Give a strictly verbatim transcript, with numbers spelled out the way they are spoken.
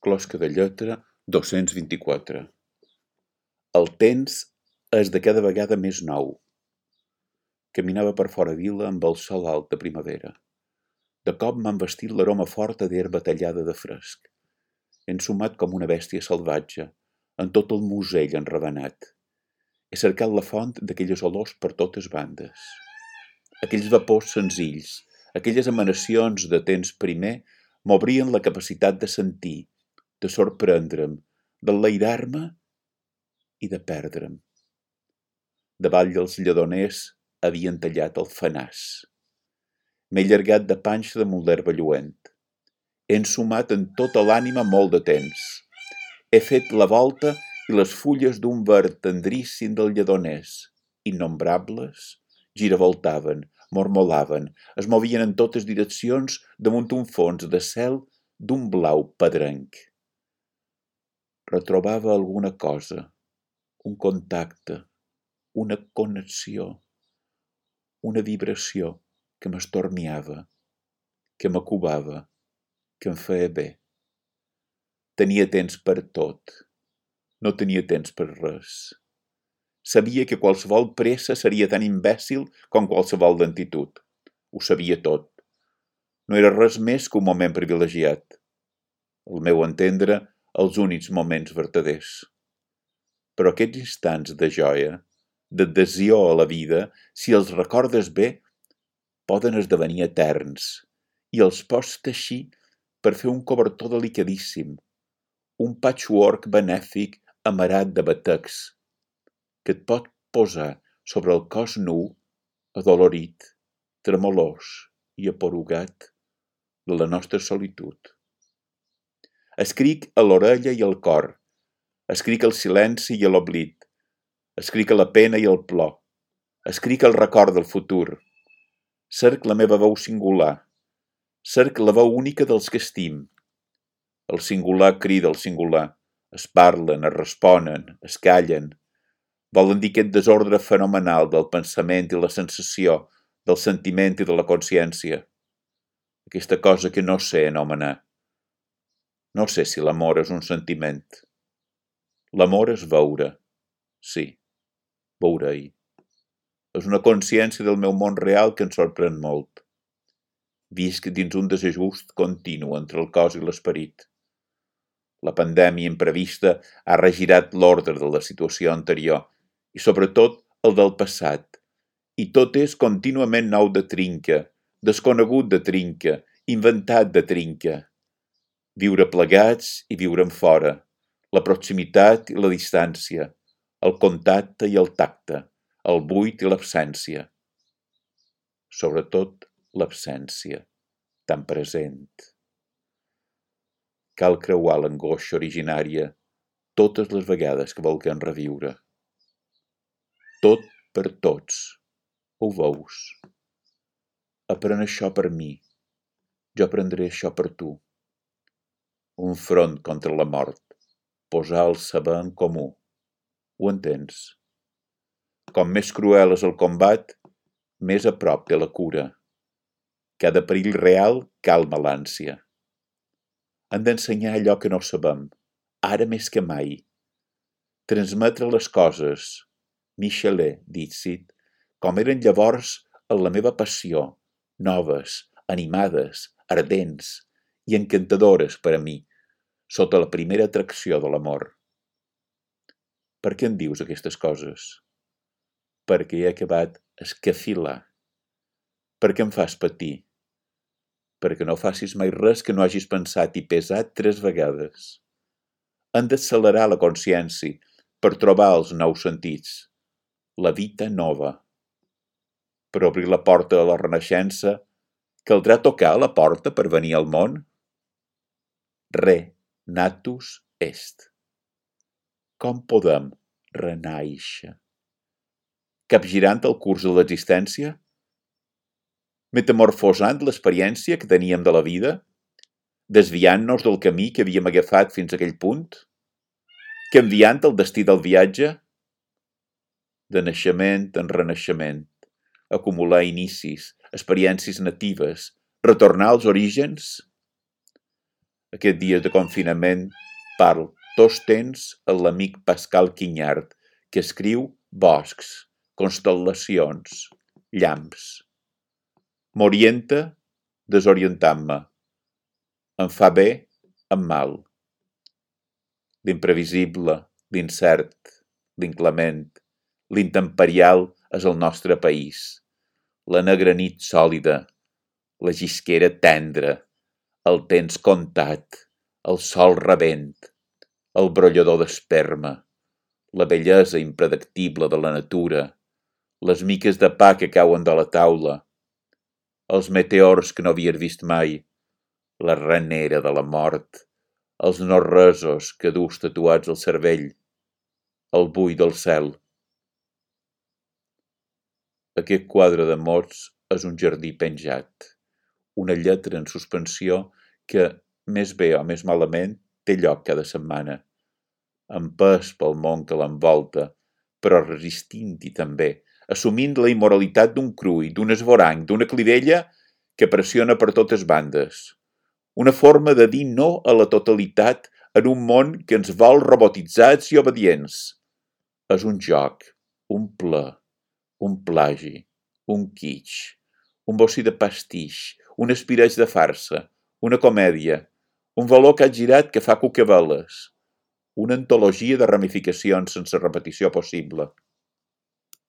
Closca de lletra dos-cents vint-i-quatre. El temps és de cada vegada més nou. Caminava per fora vila amb el sol alt de primavera. De cop m'han vestit l'aroma forta d'herba tallada de fresc, ensumat com una bèstia salvatge, en tot el musell enravenat. He cercat la font d'aquelles olors per totes bandes. Aquells vapors senzills, aquelles emanacions de temps primer, m'obrien la capacitat de sentir, de sorprendre'm, d'enlairar-me i de perdre'm. Davall dels lledoners havien tallat el fenàs. M'he llargat de panxa damunt l'herba lluent. He ensumat en tota l'ànima molt de temps. He fet la volta i les fulles d'un verd tendríssim del lledoners, innombrables, giravoltaven, mormolaven, es movien en totes direccions damunt un fons de cel d'un blau pedrenc. Retrobava alguna cosa, un contacte, una connexió, una vibració que m'estormiava, que m'acubava, que em feia bé. Tenia temps per tot, no tenia temps per res. Sabia que qualsevol pressa seria tan imbècil com qualsevol lentitud. Ho sabia tot. No era res més que un moment privilegiat. Al meu entendre, els únics moments vertaders. Però aquests instants de joia, d'adhesió a la vida, si els recordes bé, poden esdevenir eterns i els pots teixir per fer un cobertor delicadíssim, un patchwork benèfic amarat de batecs, que et pot posar sobre el cos nu, adolorit, tremolós i aporugat de la nostra solitud. Escric a l'orella i al cor, escric el silenci i l'oblit, escric la pena i el plor, escric el record del futur, cerc la meva veu singular, cerc la veu única dels que estim. El singular crida el singular, es parlen, es responen, es callen, volen dir aquest desordre fenomenal del pensament i la sensació, del sentiment i de la consciència. Aquesta cosa que no sé anomenar. No sé si l'amor és un sentiment. L'amor és veure. Sí, veure-hi. És una consciència del meu món real que em sorprèn molt. Visc dins un desajust continu entre el cos i l'esperit. La pandèmia imprevista ha regirat l'ordre de la situació anterior i sobretot el del passat. I tot és contínuament nou de trinca, desconegut de trinca, inventat de trinca. Viure plegats i viure en fora, la proximitat i la distància, el contacte i el tacte, el buit i l'absència. Sobretot l'absència, tan present. Cal creuar l'angoixa originària totes les vegades que vulguem reviure. Tot per tots, ho veus? Aprèn això per mi, jo aprendré això per tu. Un front contra la mort, posar el saber en comú. Ho entens? Com més cruel és el combat, més a prop de la cura. Cada perill real calma l'ànsia. Hem d'ensenyar allò que no sabem, ara més que mai. Transmetre les coses, Michelet, Dixit, com eren llavors en la meva passió, noves, animades, ardents i encantadores per a mi, sota la primera atracció de l'amor. Per què em dius aquestes coses? Perquè he acabat escafilar. Per què em fas patir? Perquè no facis mai res que no hagis pensat i pesat tres vegades. Hem d'accelerar la consciència per trobar els nous sentits, la vita nova. Per obrir la porta a la renaixença, caldrà tocar la porta per venir al món? Re natus est. Com podem renaixer? Capgirant el curs de l'existència? Metamorfosant l'experiència que teníem de la vida? Desviant-nos del camí que havíem agafat fins a aquell punt? Canviant el destí del viatge? De naixement en renaixement, acumular inicis, experiències natives, retornar als orígens? Aquests dies de confinament parlo tots temps amb l'amic Pascal Quinyard, que escriu boscs, constel·lacions, llamps. M'orienta desorientant-me. Em fa bé, em mal. L'imprevisible, l'incert, l'inclement, l'intemperial és el nostre país. La negra nit sòlida, la llisquera tendra, el temps comptat, el sol rebent, el brollador d'esperma, la bellesa impredictible de la natura, les miques de pa que cauen de la taula, els meteors que no havies vist mai, la renera de la mort, els no-resos que dus tatuats al cervell, el buit del cel. Aquest quadre de mots és un jardí penjat, una lletra en suspensió que, més bé o més malament, té lloc cada setmana, empès pel món que l'envolta, però resistint-hi també, assumint la immoralitat d'un crull, d'un esvoranc, d'una clivella que pressiona per totes bandes. Una forma de dir no a la totalitat en un món que ens vol robotitzats i obedients. És un joc, un ple, un plagi, un kitsch, un bocí de pastix, un espireig de farsa, una comèdia, un valor que ha girat que fa cucaveles, una antologia de ramificacions sense repetició possible.